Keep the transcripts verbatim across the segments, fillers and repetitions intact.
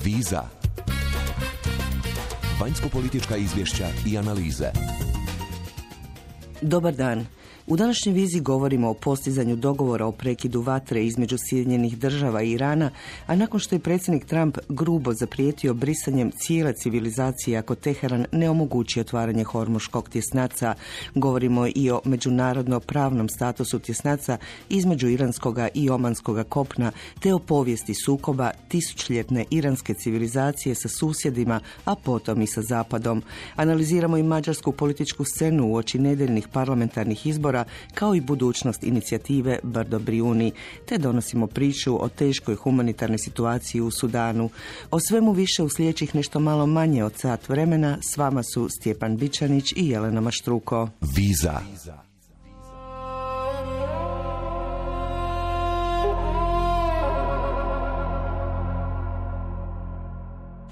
Viza. Vanjsko-politička izvješća i analize. Dobar dan. U današnjoj viziji govorimo o postizanju dogovora o prekidu vatre između Sjedinjenih država i Irana, a nakon što je predsjednik Trump grubo zaprijetio brisanjem cijele civilizacije ako Teheran ne omogući otvaranje Hormuškog tjesnaca, govorimo i o međunarodno pravnom statusu tjesnaca između iranskoga i omanskoga kopna, te o povijesti sukoba tisućljetne iranske civilizacije sa susjedima, a potom i sa Zapadom. Analiziramo i mađarsku političku scenu uoči nedeljnih parlamentarnih izbora, kao i budućnost inicijative Brdo Brijuni, te donosimo priču o teškoj humanitarnoj situaciji u Sudanu. O svemu više u sljedećih nešto malo manje od sat vremena. S vama su Stjepan Bičanić i Jelena Maštruko. Viza.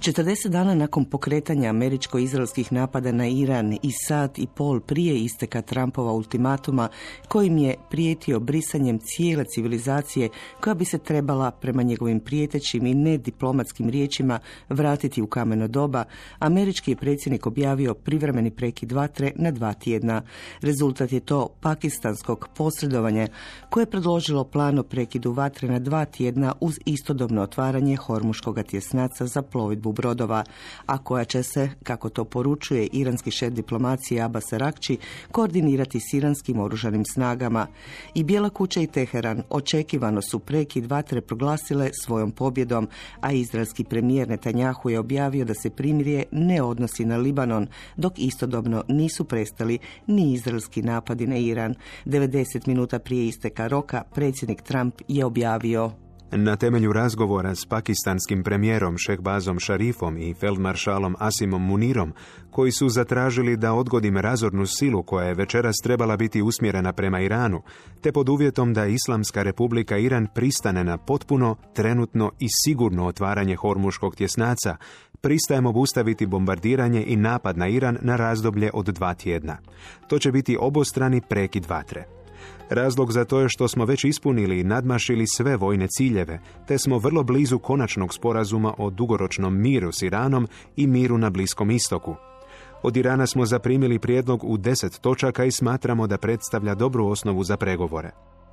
četrdeset dana nakon pokretanja američko-izraelskih napada na Iran i sat i pol prije isteka Trumpova ultimatuma, kojim je prijetio brisanjem cijele civilizacije koja bi se trebala, prema njegovim prijetećim i nediplomatskim riječima, vratiti u kameno doba, američki je predsjednik objavio privremeni prekid vatre na dva tjedna. Rezultat je to pakistanskog posredovanja koje je predložilo plan o prekidu vatre na dva tjedna uz istodobno otvaranje Hormuškog tjesnaca za plovidbu brodova, a koja će se, kako to poručuje iranski šef diplomacije Abbas Araghči, koordinirati s iranskim oružanim snagama. I Bijela kuća i Teheran očekivano su prekid vatre proglasile svojom pobjedom, a izraelski premijer Netanjahu je objavio da se primirje ne odnosi na Libanon, dok istodobno nisu prestali ni izraelski napadi na Iran. devedeset minuta prije isteka roka predsjednik Trump je objavio: Na temelju razgovora s pakistanskim premijerom Šehbazom Šarifom i feldmaršalom Asimom Munirom, koji su zatražili da odgodim razornu silu koja je večeras trebala biti usmjerena prema Iranu, te pod uvjetom da Islamska republika Iran pristane na potpuno, trenutno i sigurno otvaranje Hormuškog tjesnaca, pristajemo obustaviti bombardiranje i napad na Iran na razdoblje od dva tjedna. To će biti obostrani prekid vatre. Razlog za to je što smo već ispunili i nadmašili sve vojne ciljeve, te smo vrlo blizu konačnog sporazuma o dugoročnom miru s Iranom i miru na Bliskom istoku. Od Irana smo zaprimili prijedlog u deset točaka i smatramo da predstavlja dobru osnovu za pregovore.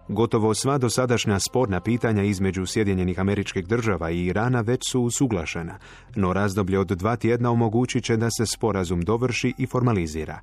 Gotovo sva dosadašnja sporna pitanja između Sjedinjenih Američkih Država i Irana već su usuglašena, no razdoblje od dva tjedna omogućit će da se sporazum dovrši i formalizira.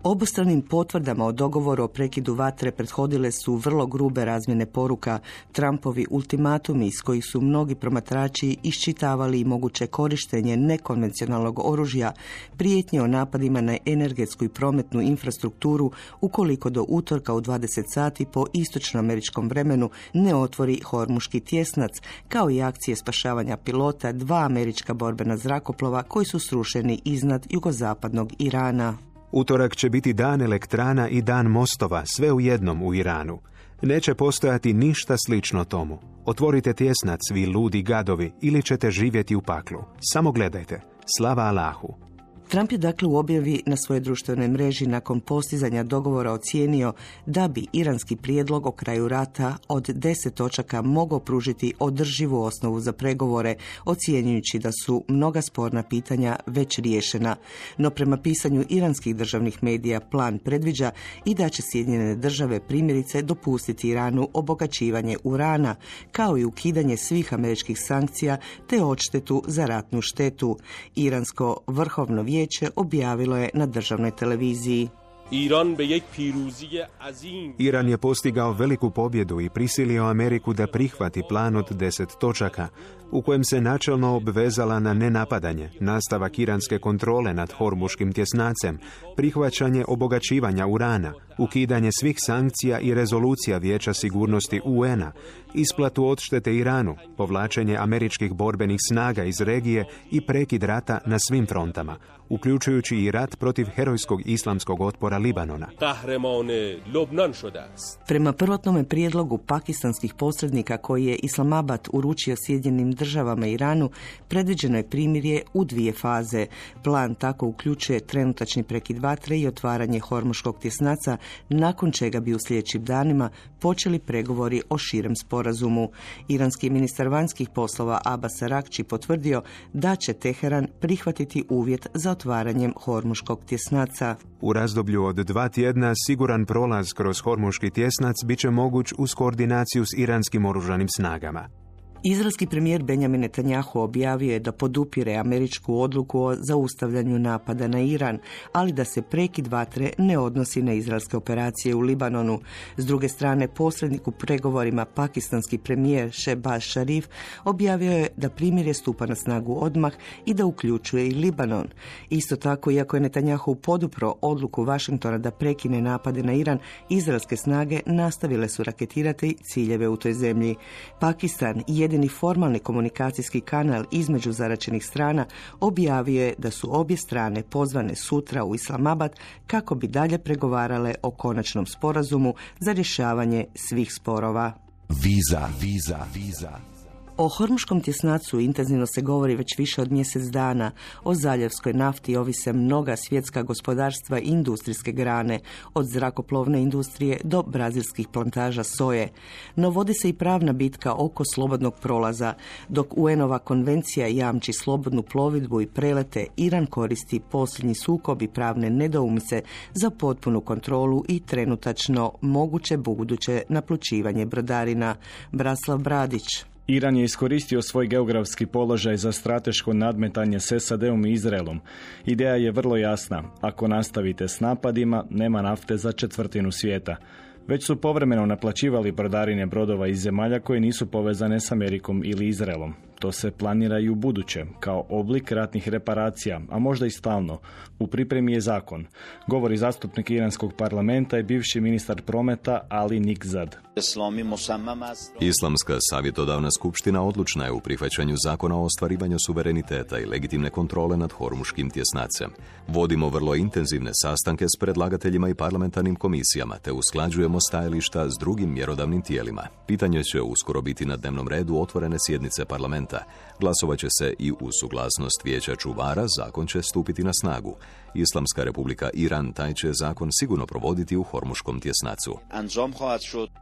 Obostranim potvrdama o dogovoru o prekidu vatre prethodile su vrlo grube razmjene poruka, Trumpovi ultimatumi iz kojih su mnogi promatrači iščitavali i moguće korištenje nekonvencionalnog oružja, prijetnje o napadima na energetsku i prometnu infrastrukturu ukoliko do utorka u dvadeset sati po istočnoameričkom vremenu ne otvori Hormuški tjesnac, kao i akcije spašavanja pilota dva američka borbena zrakoplova koji su srušeni iznad jugozapadnog Irana. Utorak će biti dan elektrana i dan mostova, sve u jednom u Iranu. Neće postojati ništa slično tomu. Otvorite tjesnac, vi ludi gadovi, ili ćete živjeti u paklu. Samo gledajte. Slava Allahu. Trump je dakle u objavi na svojoj društvenoj mreži nakon postizanja dogovora ocijenio da bi iranski prijedlog o kraju rata od deset točaka mogao pružiti održivu osnovu za pregovore, ocjenjujući da su mnoga sporna pitanja već riješena. No prema pisanju iranskih državnih medija plan predviđa i da će Sjedinjene države primjerice dopustiti Iranu obogaćivanje urana, kao i ukidanje svih američkih sankcija te odštetu za ratnu štetu. Iransko vrhovno vijeće Vijeće objavilo je na državnoj televiziji: Iran je postigao veliku pobjedu i prisilio Ameriku da prihvati plan od deset točaka, u kojem se načelno obvezala na nenapadanje, nastavak iranske kontrole nad Hormuškim tjesnacem, prihvaćanje obogaćivanja urana, ukidanje svih sankcija i rezolucija Vijeća sigurnosti U N-a, isplatu odštete Iranu, povlačenje američkih borbenih snaga iz regije i prekid rata na svim frontama, uključujući i rat protiv herojskog islamskog otpora Libanona. Prema prvotnome prijedlogu pakistanskih posrednika koji je Islamabad uručio Sjedinjenim državama i Iranu, predviđeno je primirje u dvije faze. Plan tako uključuje trenutačni prekid vatre i otvaranje Hormuškog tjesnaca nakon čega bi u sljedećim danima počeli pregovori o širem sporazumu. Iranski ministar vanjskih poslova Abbas Araghči potvrdio da će Teheran prihvatiti uvjet za otvaranjem Hormuškog tjesnaca. U razdoblju od dva tjedna siguran prolaz kroz Hormuški tjesnac bit će moguć uz koordinaciju s iranskim oružanim snagama. Izraelski premijer Benjamin Netanjahu objavio je da podupire američku odluku o zaustavljanju napada na Iran, ali da se prekid vatre ne odnosi na izraelske operacije u Libanonu. S druge strane, posrednik u pregovorima pakistanski premijer Shehbaz Sharif objavio je da primirje stupa na snagu odmah i da uključuje i Libanon. Isto tako, iako je Netanjahu podupro odluku Washingtona da prekine napade na Iran, izraelske snage nastavile su raketirati ciljeve u toj zemlji. Pakistan, jedini formalni komunikacijski kanal između zaračenih strana, objavio je da su obje strane pozvane sutra u Islamabad kako bi dalje pregovarale o konačnom sporazumu za rješavanje svih sporova. Viza, viza, viza. O Hormuškom tjesnacu intenzivno se govori već više od mjesec dana. O zaljevskoj nafti ovise mnoga svjetska gospodarstva i industrijske grane, od zrakoplovne industrije do brazilskih plantaža soje. No vodi se i pravna bitka oko slobodnog prolaza. Dok U N-ova konvencija jamči slobodnu plovidbu i prelete, Iran koristi posljednji sukob i pravne nedoumice za potpunu kontrolu i trenutačno moguće buduće naplučivanje brodarina. Braslav Bradić. Iran je iskoristio svoj geografski položaj za strateško nadmetanje s S A D-om i Izraelom. Ideja je vrlo jasna. Ako nastavite s napadima, nema nafte za četvrtinu svijeta. Već su povremeno naplaćivali brodarine brodova iz zemalja koje nisu povezane s Amerikom ili Izraelom. To se planira i u buduće, kao oblik ratnih reparacija, a možda i stalno. U pripremi je zakon. Govori zastupnik iranskog parlamenta i bivši ministar prometa Ali Nikzad. Islamska savjetodavna skupština odlučna je u prihvaćanju zakona o ostvarivanju suvereniteta i legitimne kontrole nad Hormuškim tjesnacem. Vodimo vrlo intenzivne sastanke s predlagateljima i parlamentarnim komisijama, te usklađujemo stajališta s drugim mjerodavnim tijelima. Pitanje će uskoro biti na dnevnom redu otvorene sjednice parlamenta. Glasovat će se i uz suglasnost vijeća čuvara, zakon će stupiti na snagu. Islamska republika Iran taj će zakon sigurno provoditi u Hormuškom tjesnacu.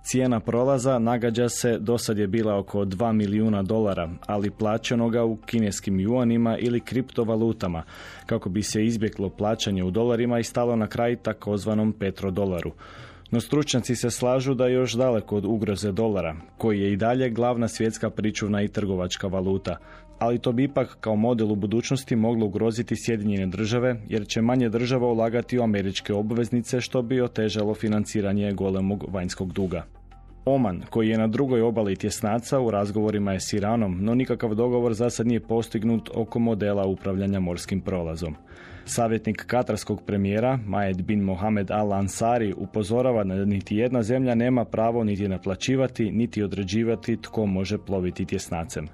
Cijena prolaza nagađa se dosad je bila oko dva milijuna dolara, ali plaćeno ga u kineskim juanima ili kriptovalutama, kako bi se izbjeglo plaćanje u dolarima i stalo na kraj takozvanom petrodolaru. No stručnjaci se slažu da je još daleko od ugroze dolara, koji je i dalje glavna svjetska pričuvna i trgovačka valuta. Ali to bi ipak kao model u budućnosti moglo ugroziti Sjedinjene države, jer će manje država ulagati u američke obveznice, što bi otežalo financiranje golemog vanjskog duga. Oman, koji je na drugoj obali tjesnaca, u razgovorima je s Iranom, no nikakav dogovor za sad nije postignut oko modela upravljanja morskim prolazom. Savjetnik katarskog premijera, Majed bin Mohamed Al-Ansari, upozorava da niti jedna zemlja nema pravo niti naplaćivati, niti određivati tko može ploviti tjesnacem.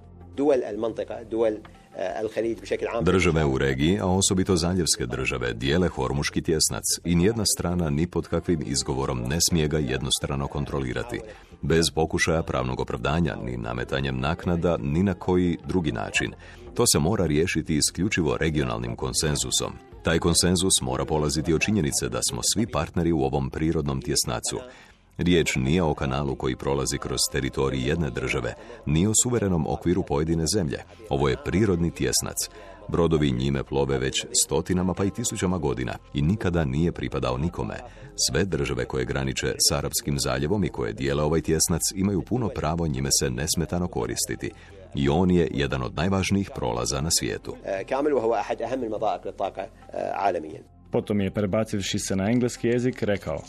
Države u regiji, a osobito zaljevske države, dijele Hormuški tjesnac i nijedna strana ni pod kakvim izgovorom ne smije ga jednostrano kontrolirati, bez pokušaja pravnog opravdanja, ni nametanjem naknada, ni na koji drugi način. To se mora riješiti isključivo regionalnim konsenzusom. Taj konsenzus mora polaziti od činjenice da smo svi partneri u ovom prirodnom tjesnacu. Riječ nije o kanalu koji prolazi kroz teritorij jedne države, ni o suverenom okviru pojedine zemlje. Ovo je prirodni tjesnac. Brodovi njime plove već stotinama pa i tisućama godina i nikada nije pripadao nikome. Sve države koje graniče s Arapskim zaljevom i koje dijele ovaj tjesnac imaju puno pravo njime se nesmetano koristiti. I on je jedan od najvažnijih prolaza na svijetu. Potom je, prebacivši se na engleski jezik, rekao: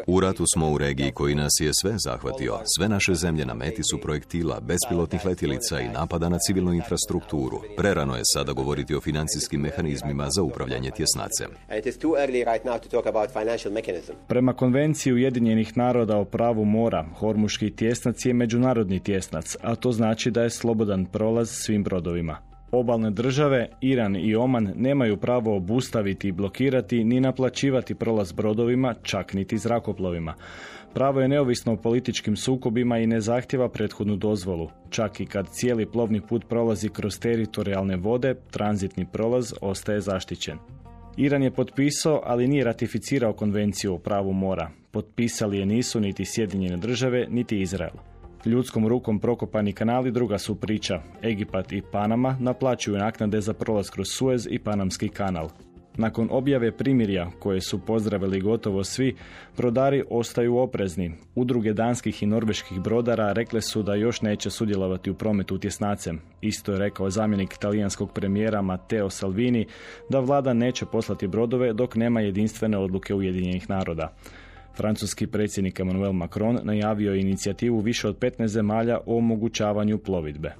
U ratu smo u regiji koji nas je sve zahvatio. Sve naše zemlje na meti su projektila, bespilotnih letjelica i napada na civilnu infrastrukturu. Prerano je sada govoriti o financijskim mehanizmima za upravljanje tjesnacem. Prema Konvenciji Ujedinjenih naroda o pravu mora, Hormuški tjesnac je međunarodni tjesnac, a to znači da je slobodan prolaz svim brodovima. Obalne države, Iran i Oman, nemaju pravo obustaviti i blokirati ni naplaćivati prolaz brodovima, čak niti zrakoplovima. Pravo je neovisno o političkim sukobima i ne zahtjeva prethodnu dozvolu. Čak i kad cijeli plovni put prolazi kroz teritorijalne vode, tranzitni prolaz ostaje zaštićen. Iran je potpisao, ali nije ratificirao konvenciju o pravu mora. Potpisali je nisu niti Sjedinjene države, niti Izrael. Ljudskom rukom prokopani kanali druga su priča. Egipat i Panama naplaćuju naknade za prolaz kroz Suez i Panamski kanal. Nakon objave primirja, koje su pozdravili gotovo svi, brodari ostaju oprezni. Udruge danskih i norveških brodara rekle su da još neće sudjelovati u prometu tjesnacem. Isto je rekao zamjenik talijanskog premijera Matteo Salvini da vlada neće poslati brodove dok nema jedinstvene odluke Ujedinjenih naroda. Francuski predsjednik Emmanuel Macron najavio je inicijativu više od petnaest zemalja o omogućavanju plovidbe.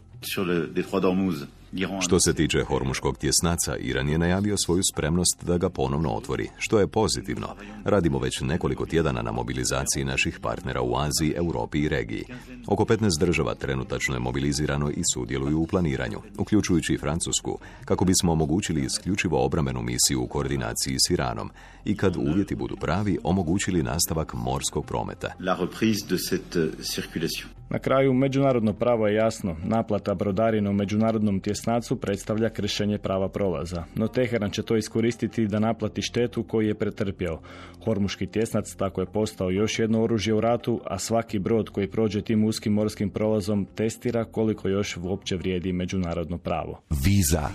Što se tiče Hormuškog tjesnaca, Iran je najavio svoju spremnost da ga ponovno otvori, što je pozitivno. Radimo već nekoliko tjedana na mobilizaciji naših partnera u Aziji, Europi i regiji. Oko petnaest država trenutačno je mobilizirano i sudjeluju u planiranju, uključujući i Francusku, kako bismo omogućili isključivo obrambenu misiju u koordinaciji s Iranom i kad uvjeti budu pravi, omogućili nastavak morskog prometa. Na kraju, međunarodno pravo je jasno. Naplata brodarina u međunarodnom tjesnacu predstavlja kršenje prava prolaza. No Teheran će to iskoristiti da naplati štetu koju je pretrpio. Hormuški tjesnac tako je postao još jedno oružje u ratu, a svaki brod koji prođe tim uskim morskim prolazom testira koliko još uopće vrijedi međunarodno pravo. Viza.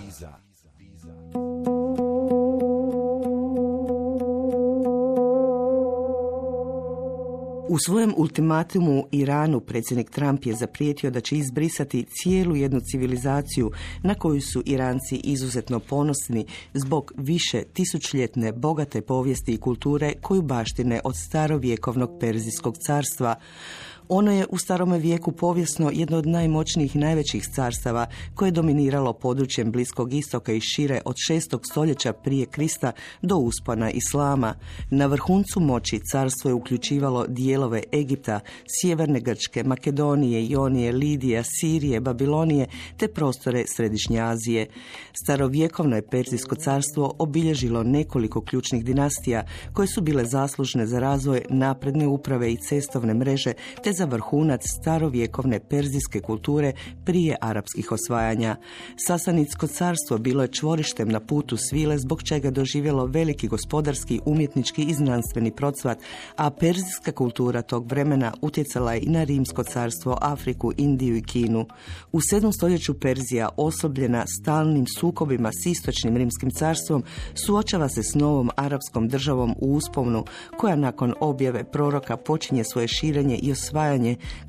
U svojem ultimatumu Iranu predsjednik Trump je zaprijetio da će izbrisati cijelu jednu civilizaciju na koju su Iranci izuzetno ponosni zbog više tisućljetne bogate povijesti i kulture koju baštine od starovjekovnog Perzijskog carstva. Ono je u starome vijeku povijesno jedno od najmoćnijih i najvećih carstava koje je dominiralo područjem Bliskog istoka i šire od šestog stoljeća prije Krista do uspona Islama. Na vrhuncu moći carstvo je uključivalo dijelove Egipta, sjeverne Grčke, Makedonije, Ionije, Lidije, Sirije, Babilonije te prostore Središnje Azije. Starovjekovno je Perzijsko carstvo obilježilo nekoliko ključnih dinastija koje su bile zaslužne za razvoj napredne uprave i cestovne mreže te za vrhunac starovjekovne perzijske kulture prije arapskih osvajanja. Sasanidsko carstvo bilo je čvorištem na putu svile zbog čega doživjelo veliki gospodarski, umjetnički i znanstveni procvat, a perzijska kultura tog vremena utjecala je i na Rimsko carstvo, Afriku, Indiju i Kinu. U sedmom stoljeću Perzija, osobljena stalnim sukobima s istočnim Rimskim carstvom, suočava se s novom arapskom državom u usponu, koja nakon objave proroka počinje svoje širenje i osvajanje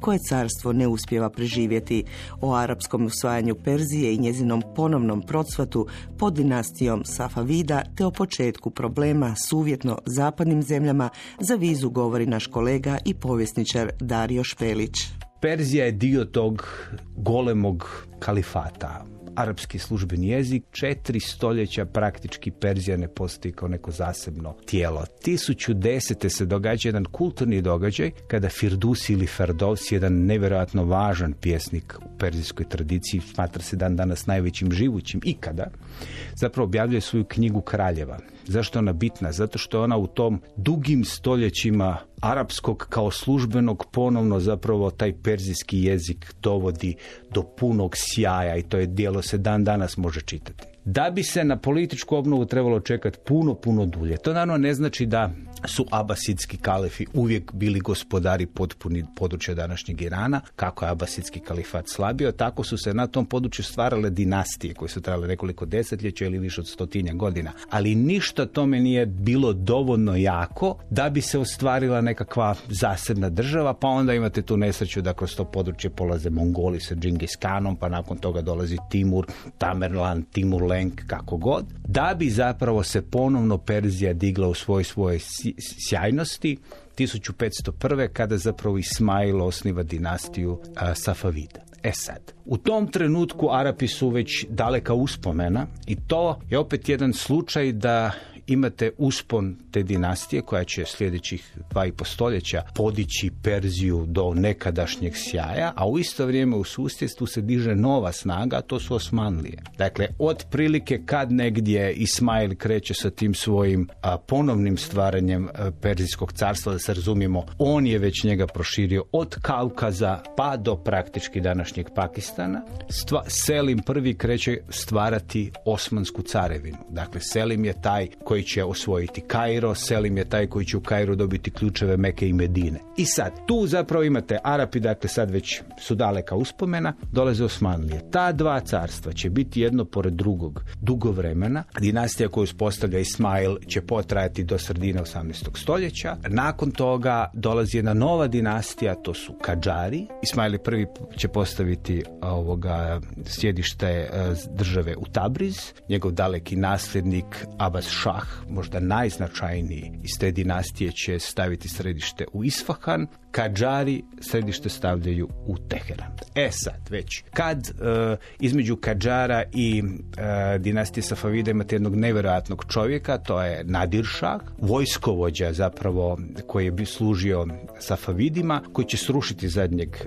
koje carstvo ne uspijeva preživjeti. O arapskom osvajanju Perzije i njezinom ponovnom procvatu pod dinastijom Safavida te o početku problema s uvjetno zapadnim zemljama za vizu govori naš kolega i povjesničar Dario Špelić. Perzija je dio tog golemog kalifata. Arapski službeni jezik, četiri stoljeća praktički Perzija ne postoji kao neko zasebno tijelo. tisuću desete se događa jedan kulturni događaj kada Firdusi ili Ferdowsi, jedan nevjerojatno važan pjesnik u perzijskoj tradiciji, smatra se dan danas najvećim živućim ikada, zapravo objavljuje svoju knjigu Kraljeva. Zašto je ona bitna? Zato što ona u tom dugim stoljećima arapskog kao službenog ponovno zapravo taj perzijski jezik dovodi do punog sjaja i to je djelo se dan danas može čitati. Da bi se na političku obnovu trebalo čekati puno, puno dulje. To naravno ne znači da su abasidski kalifi uvijek bili gospodari potpuni područja današnjeg Irana. Kako je abasidski kalifat slabio, tako su se na tom području stvarale dinastije koje su trajale nekoliko desetljeća ili više od stotinja godina. Ali ništa tome nije bilo dovoljno jako da bi se ostvarila nekakva zasebna država, pa onda imate tu nesreću da kroz to područje polaze Mongoli sa Džingis Kanom, pa nakon toga dolazi Timur, Tamerlan, Timur Lenk, kako god, da bi zapravo se ponovno Perzija digla u svoj svoje sjajnosti tisuću petsto prve kada zapravo Ismail osniva dinastiju a, Safavida. E sad, u tom trenutku Arapi su već daleka uspomena i to je opet jedan slučaj da imate uspon te dinastije koja će sljedećih dva i po stoljeća podići Perziju do nekadašnjeg sjaja, a u isto vrijeme u susjedstvu se diže nova snaga, a to su Osmanlije. Dakle, otprilike kad negdje Ismail kreće sa tim svojim a, ponovnim stvaranjem a, Perzijskog carstva, da se razumijemo, on je već njega proširio od Kaukaza pa do praktički današnjeg Pakistana. Stva, Selim prvi kreće stvarati Osmansku carevinu. Dakle, Selim je taj koji koji će osvojiti Kairo, Selim je taj koji će u Kairu dobiti ključeve Meke i Medine. I sad, tu zapravo imate Arapi, dakle sad već su daleka uspomena, dolaze Osmanlije. Ta dva carstva će biti jedno pored drugog dugo vremena. Dinastija koju uspostavlja Ismail će potrajati do sredine osamnaestog stoljeća. Nakon toga dolazi jedna nova dinastija, to su Kadžari. Ismail prvi će postaviti ovoga sjedište države u Tabriz. Njegov daleki nasljednik Abbas Šah, možda najznačajniji iz te dinastije, će staviti središte u Isfahan. Kadžari središte stavljaju u Teheran. E sad, već kad e, između Kadžara i e, dinastije Safavida imate jednog nevjerojatnog čovjeka, to je Nadir Šah, vojskovođa zapravo koji je bi služio Safavidima, koji će srušiti zadnjeg e,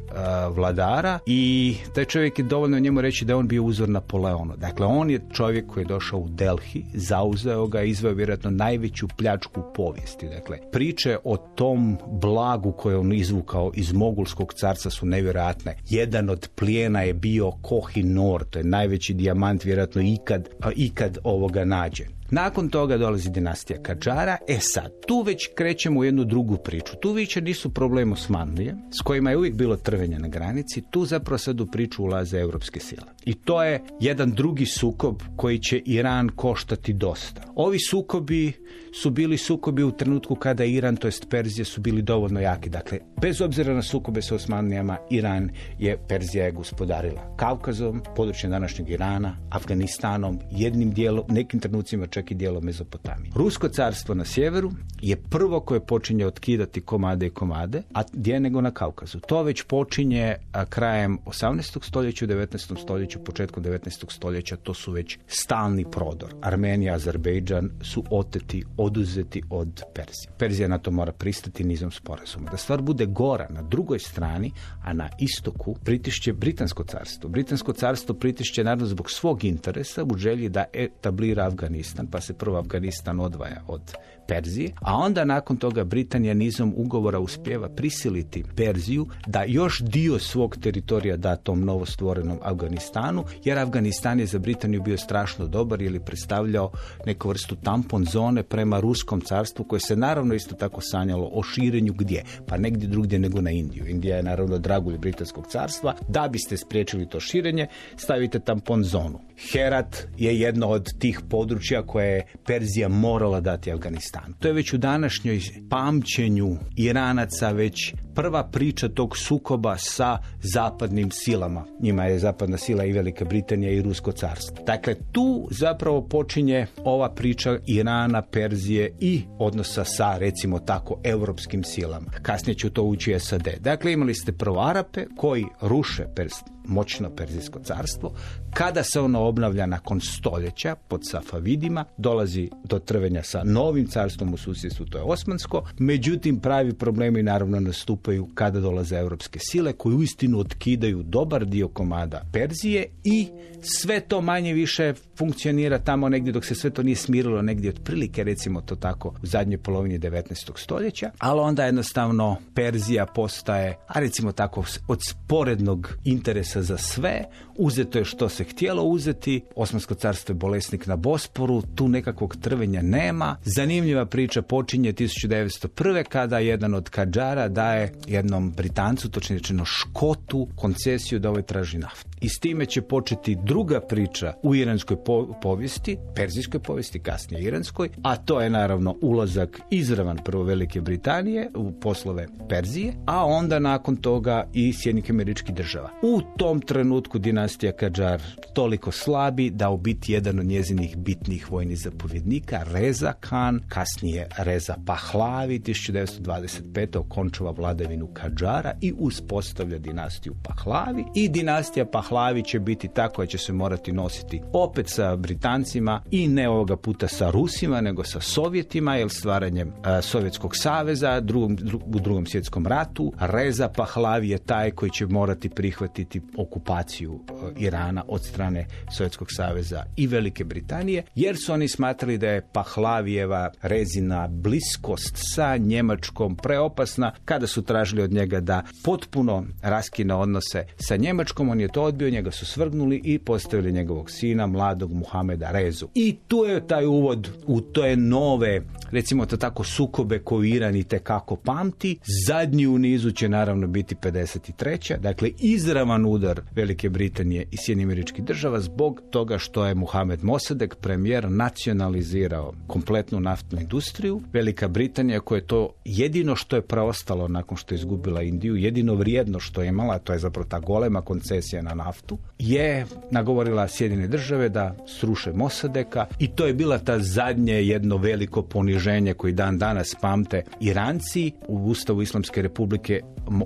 vladara, i taj čovjek je dovoljno njemu reći da je on bio uzor Napoleonu. Dakle, on je čovjek koji je došao u Delhi, zauzeo ga, izveo vjerojatno najveću pljačku u povijesti. Dakle, priče o tom blagu koje on izvukao iz Mogulskog carstva su nevjerojatne. Jedan od plijena je bio Koh-i-Nor, to je najveći dijamant vjerojatno ikad, ikad ovoga nađen. Nakon toga dolazi dinastija Kadžara. E sad, tu već krećemo u jednu drugu priču. Tu više nisu problem Osmanlije, s kojima je uvijek bilo trvenja na granici. Tu zapravo sad u priču ulaze europske sile. I to je jedan drugi sukob koji će Iran koštati dosta. Ovi sukobi su bili sukobi u trenutku kada Iran, to jest Perzija, su bili dovoljno jaki. Dakle, bez obzira na sukobe sa Osmanlijama, Iran je, Perzija je gospodarila Kavkazom, područjem današnjeg Irana, Afganistanom, jednim dijelom, nekim trenucima čak i dijelom Mezopotamije. Rusko carstvo na sjeveru je prvo koje počinje otkidati komade i komade, a gdje nego na Kavkazu. To već počinje a, krajem osamnaestog stoljeća, u devetnaestom stoljeću, početkom devetnaestog stoljeća, to su već stalni prodor. Armenija, Azerbejdžan su oteti, oduzeti od Perzije. Perzija na to mora pristati nizom sporazuma. Da stvar bude gora, na drugoj strani, a na istoku, pritišće Britansko carstvo. Britansko carstvo pritišće naravno zbog svog interesa u želji da etablira Afganistan, pa se prvo Afganistan odvaja od Perzije, a onda nakon toga Britanija nizom ugovora uspijeva prisiliti Perziju da još dio svog teritorija da tom novostvorenom Afganistanu, jer Afganistan je za Britaniju bio strašno dobar ili predstavljao neku vrstu tampon zone prema Ruskom carstvu, koje se naravno isto tako sanjalo o širenju gdje? Pa negdje drugdje nego na Indiju. Indija je naravno dragulj Britanskog carstva. Da biste spriječili to širenje, stavite tampon zonu. Herat je jedno od tih područja koje je Perzija morala dati Afganistanu. To je već u današnjoj pamćenju Iranaca već prva priča tog sukoba sa zapadnim silama. Njima je zapadna sila i Velika Britanija i Rusko carstvo. Dakle, tu zapravo počinje ova priča Irana, Perzije i odnosa sa, recimo tako, europskim silama. Kasnije će to ući S A D. Dakle, imali ste prvo Arape koji ruše Perziju, moćno Perzijsko carstvo. Kada se ono obnavlja nakon stoljeća pod Safavidima, dolazi do trvenja sa novim carstvom u susjedstvu, to je Osmansko. Međutim, pravi problemi naravno nastupaju kada dolaze europske sile koje uistinu otkidaju dobar dio komada Perzije i sve to manje više funkcionira tamo negdje dok se sve to nije smirilo, negdje otprilike, recimo to tako, u zadnjoj polovini devetnaestog stoljeća, ali onda jednostavno Perzija postaje, a recimo tako, od sporednog interesa za sve, uzeto je što se htjelo uzeti, Osmansko carstvo je bolesnik na Bosporu, tu nekakvog trvenja nema. Zanimljiva priča počinje tisuću devetsto prve kada jedan od Kadžara daje jednom Britancu, točnije rečeno Škotu, koncesiju da ovaj traži naftu. I s time će početi druga priča u iranskoj po- povijesti, perzijskoj povijesti, kasnije iranskoj, a to je naravno ulazak izravan prvo Velike Britanije u poslove Perzije, a onda nakon toga i Sjedinjenih Američkih Država. U tom trenutku dinastija Kadžar toliko slabi da u biti jedan od njezinih bitnih vojnih zapovjednika, Reza Khan, kasnije Reza Pahlavi, tisuću devetsto dvadeset pete okončava vladavinu Kadžara i uspostavlja dinastiju Pahlavi. I dinastija Pahlavi će biti ta koja će se morati nositi opet sa Britancima i ne ovoga puta sa Rusima, nego sa Sovjetima, jer stvaranjem a, Sovjetskog saveza drugom, dru, u drugom svjetskom ratu Reza Pahlavi je taj koji će morati prihvatiti okupaciju a, Irana od strane Sovjetskog saveza i Velike Britanije, jer su oni smatrali da je Pahlavijeva Rezina bliskost sa Njemačkom preopasna. Kada su tražili od njega da potpuno raskine odnose sa Njemačkom, on je to odbio odbio, njega su svrgnuli i postavili njegovog sina, mladog Muhameda Rezu. I tu je taj uvod u te nove, recimo to tako, sukobe koju Iran itekako pamti. Zadnji u nizu će naravno biti pedeset treća Dakle, izravan udar Velike Britanije i Sjedinjenih Američkih Država zbog toga što je Mohamed Mossadegh, premijer, nacionalizirao kompletnu naftnu industriju. Velika Britanija, koja je to jedino što je preostalo nakon što je izgubila Indiju, jedino vrijedno što je imala, to je zapravo ta golema koncesija na naftu, je nagovorila Sjedinjene Države da sruše Mossadegha i to je bila ta zadnje jedno veliko poniženje koji dan danas pamte Iranci. U Ustavu Islamske Republike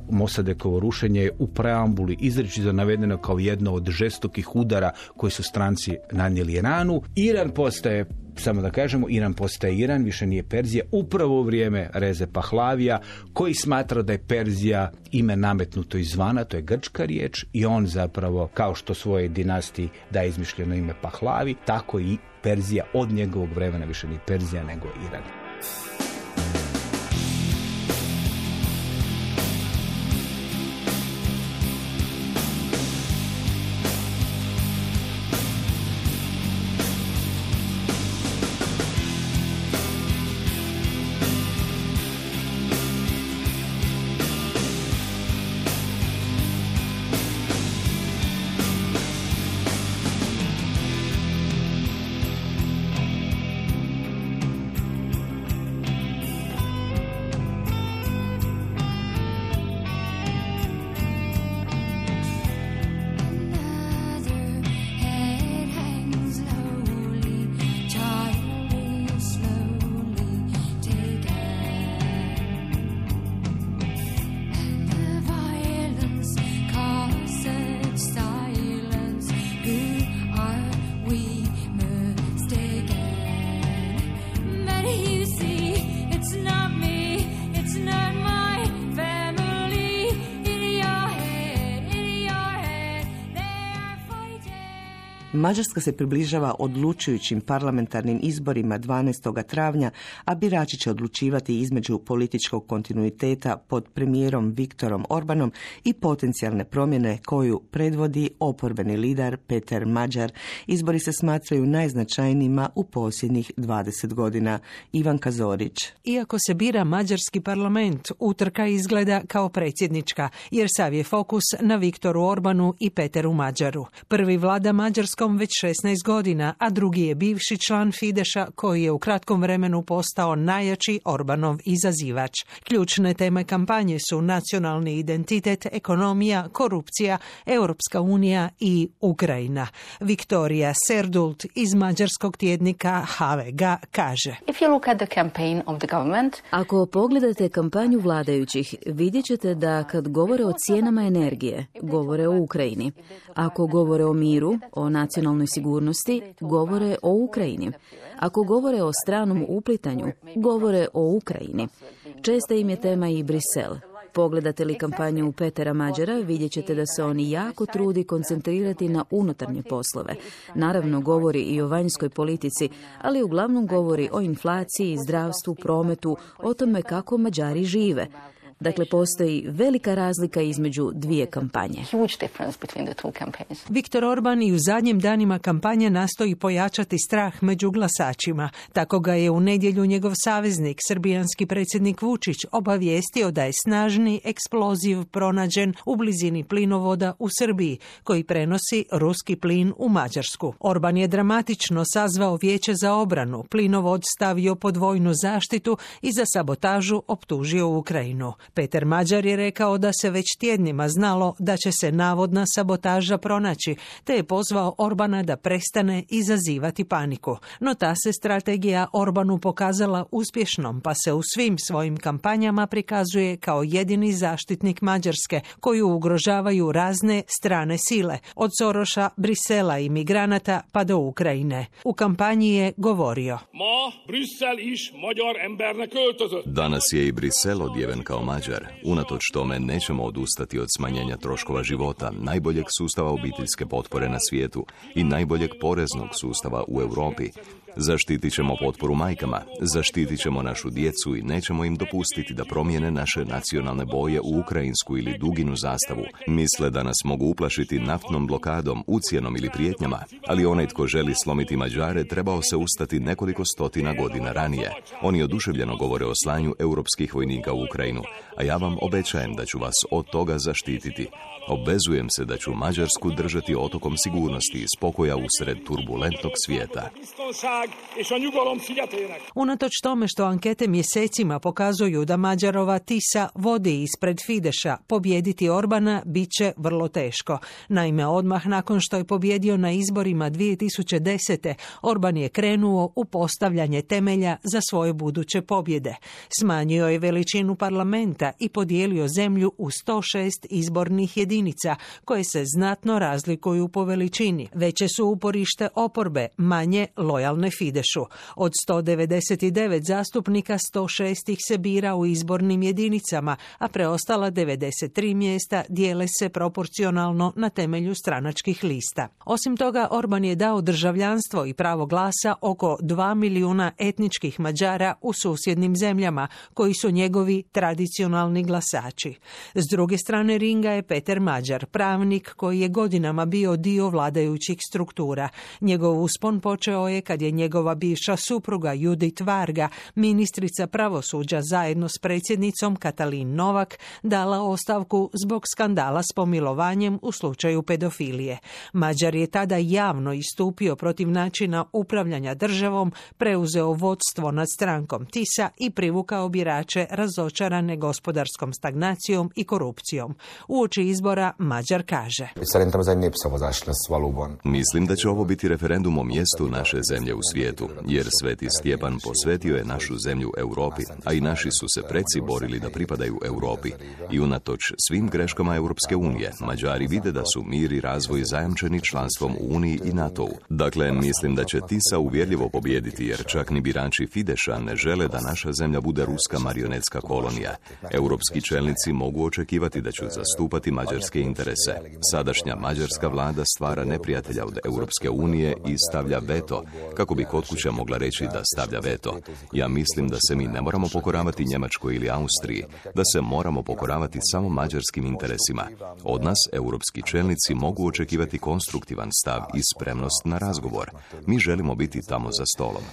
Mossadeghovo rušenje je u preambuli izričito navedeno kao jedno od žestokih udara koji su stranci nanijeli Iranu. Iran postaje, samo da kažemo, Iran postaje Iran, više nije Perzija, upravo u vrijeme Reze Pahlavija, koji smatra da je Perzija ime nametnuto izvana, to je grčka riječ, i on zapravo, kao što svoje dinastiji daje izmišljeno ime Pahlavi, tako i Perzija od njegovog vremena više nije Perzija nego Iran. Mađarska se približava odlučujućim parlamentarnim izborima dvanaestog travnja, a birači će odlučivati između političkog kontinuiteta pod premijerom Viktorom Orbanom i potencijalne promjene koju predvodi oporbeni lider Peter Magyar. Izbori se smatraju najznačajnijima u posljednjih dvadeset godina. Ivanka Zorić. Iako se bira mađarski parlament, utrka izgleda kao predsjednička, jer sav je fokus na Viktoru Orbanu i Peteru Magyaru. Prvi vlada Mađarskom već šesnaest godina, a drugi je bivši član Fideša koji je u kratkom vremenu postao najjači Orbanov izazivač. Ključne teme kampanje su nacionalni identitet, ekonomija, korupcija, Europska unija i Ukrajina. Viktorija Serdult iz mađarskog tjednika H V G kaže: If you look at the campaign of the government, ako pogledate kampanju vladajućih, vidjet ćete da kad govore o cijenama energije, govore o Ukrajini. Ako govore o miru, o nacionalnoj sigurnosti, govore o Ukrajini. Ako govore o stranom uplitanju, govore o Ukrajini. Česta im je tema i Brisel. Pogledate li kampanju Petera Magyara, vidjet ćete da se on jako trudi koncentrirati na unutarnje poslove. Naravno, govori i o vanjskoj politici, ali uglavnom govori o inflaciji, zdravstvu, prometu, o tome kako Mađari žive. Dakle, postoji velika razlika između dvije kampanje. Viktor Orban i u zadnjim danima kampanje nastoji pojačati strah među glasačima. Tako ga je u nedjelju njegov saveznik, srbijanski predsjednik Vučić, obavijestio da je snažni eksploziv pronađen u blizini plinovoda u Srbiji, koji prenosi ruski plin u Mađarsku. Orban je dramatično sazvao vijeće za obranu, plinovod stavio pod vojnu zaštitu i za sabotažu optužio Ukrajinu. Peter Magyar je rekao da se već tjednima znalo da će se navodna sabotaža pronaći, te je pozvao Orbana da prestane izazivati paniku. No ta se strategija Orbanu pokazala uspješnom, pa se u svim svojim kampanjama prikazuje kao jedini zaštitnik Mađarske, koju ugrožavaju razne strane sile, od Soroša, Brisela i migranata pa do Ukrajine. U kampanji je govorio: Danas je i Brisel odjeven kao Mađar. Unatoč tome nećemo odustati od smanjenja troškova života, najboljeg sustava obiteljske potpore na svijetu i najboljeg poreznog sustava u Europi. Zaštitit ćemo potporu majkama, zaštitit ćemo našu djecu i nećemo im dopustiti da promijene naše nacionalne boje u ukrajinsku ili duginu zastavu. Misle da nas mogu uplašiti naftnom blokadom, ucjenom ili prijetnjama, ali onaj tko želi slomiti Mađare trebao se ustati nekoliko stotina godina ranije. Oni oduševljeno govore o slanju europskih vojnika u Ukrajinu, a ja vam obećajem da ću vas od toga zaštititi. Obvezujem se da ću Mađarsku držati otokom sigurnosti i spokoja usred turbulentnog svijeta. Unatoč tome što ankete mjesecima pokazuju da Mađarova Tisa vodi ispred Fideša, pobijediti Orbana bit će vrlo teško. Naime, odmah nakon što je pobjedio na izborima dvije tisuće desete. Orban je krenuo u postavljanje temelja za svoje buduće pobjede. Smanjio je veličinu parlamenta i podijelio zemlju u sto šest izbornih jedinica, koje se znatno razlikuju po veličini. Veće su uporište oporbe, manje lojalne Fidešu. Od sto devedeset devet zastupnika, sto šest ih se bira u izbornim jedinicama, a preostala devedeset tri mjesta dijele se proporcionalno na temelju stranačkih lista. Osim toga, Orban je dao državljanstvo i pravo glasa oko dva milijuna etničkih Mađara u susjednim zemljama, koji su njegovi tradicionalni glasači. S druge strane ringa je Peter Mađar, pravnik koji je godinama bio dio vladajućih struktura. Njegov uspon počeo je kad je njegova bivša supruga Judit Varga, ministrica pravosuđa zajedno s predsjednicom Katalin Novak, dala ostavku zbog skandala s pomilovanjem u slučaju pedofilije. Mađar je tada javno istupio protiv načina upravljanja državom, preuzeo vodstvo nad strankom Tisa i privukao birače razočarane gospodarskom stagnacijom i korupcijom. Uoči izbora Mađar kaže: Mislim da će ovo biti referendum o mjestu naše zemlje u svijetu, jer Sveti Stjepan posvetio je našu zemlju Europi, a i naši su se preci borili da pripadaju Europi. I unatoč svim greškama Europske unije, Mađari vide da su mir i razvoj zajamčeni članstvom u Uniji i NATO-u. Dakle, mislim da će Tisa uvjerljivo pobijediti, jer čak ni birači Fideša ne žele da naša zemlja bude ruska marionetska kolonija. Europski čelnici mogu očekivati da ću zastupati mađarske interese. Sadašnja mađarska vlada stvara neprijatelja od Europske unije i stavlja veto, kako bi kod kuća mogla reći da stavlja veto. Ja mislim da se mi ne moramo pokoravati Njemačkoj ili Austriji, da se moramo pokoravati samo mađarskim interesima. Od nas europski čelnici mogu očekivati konstruktivan stav i spremnost na razgovor. Mi želimo biti tamo za stolom.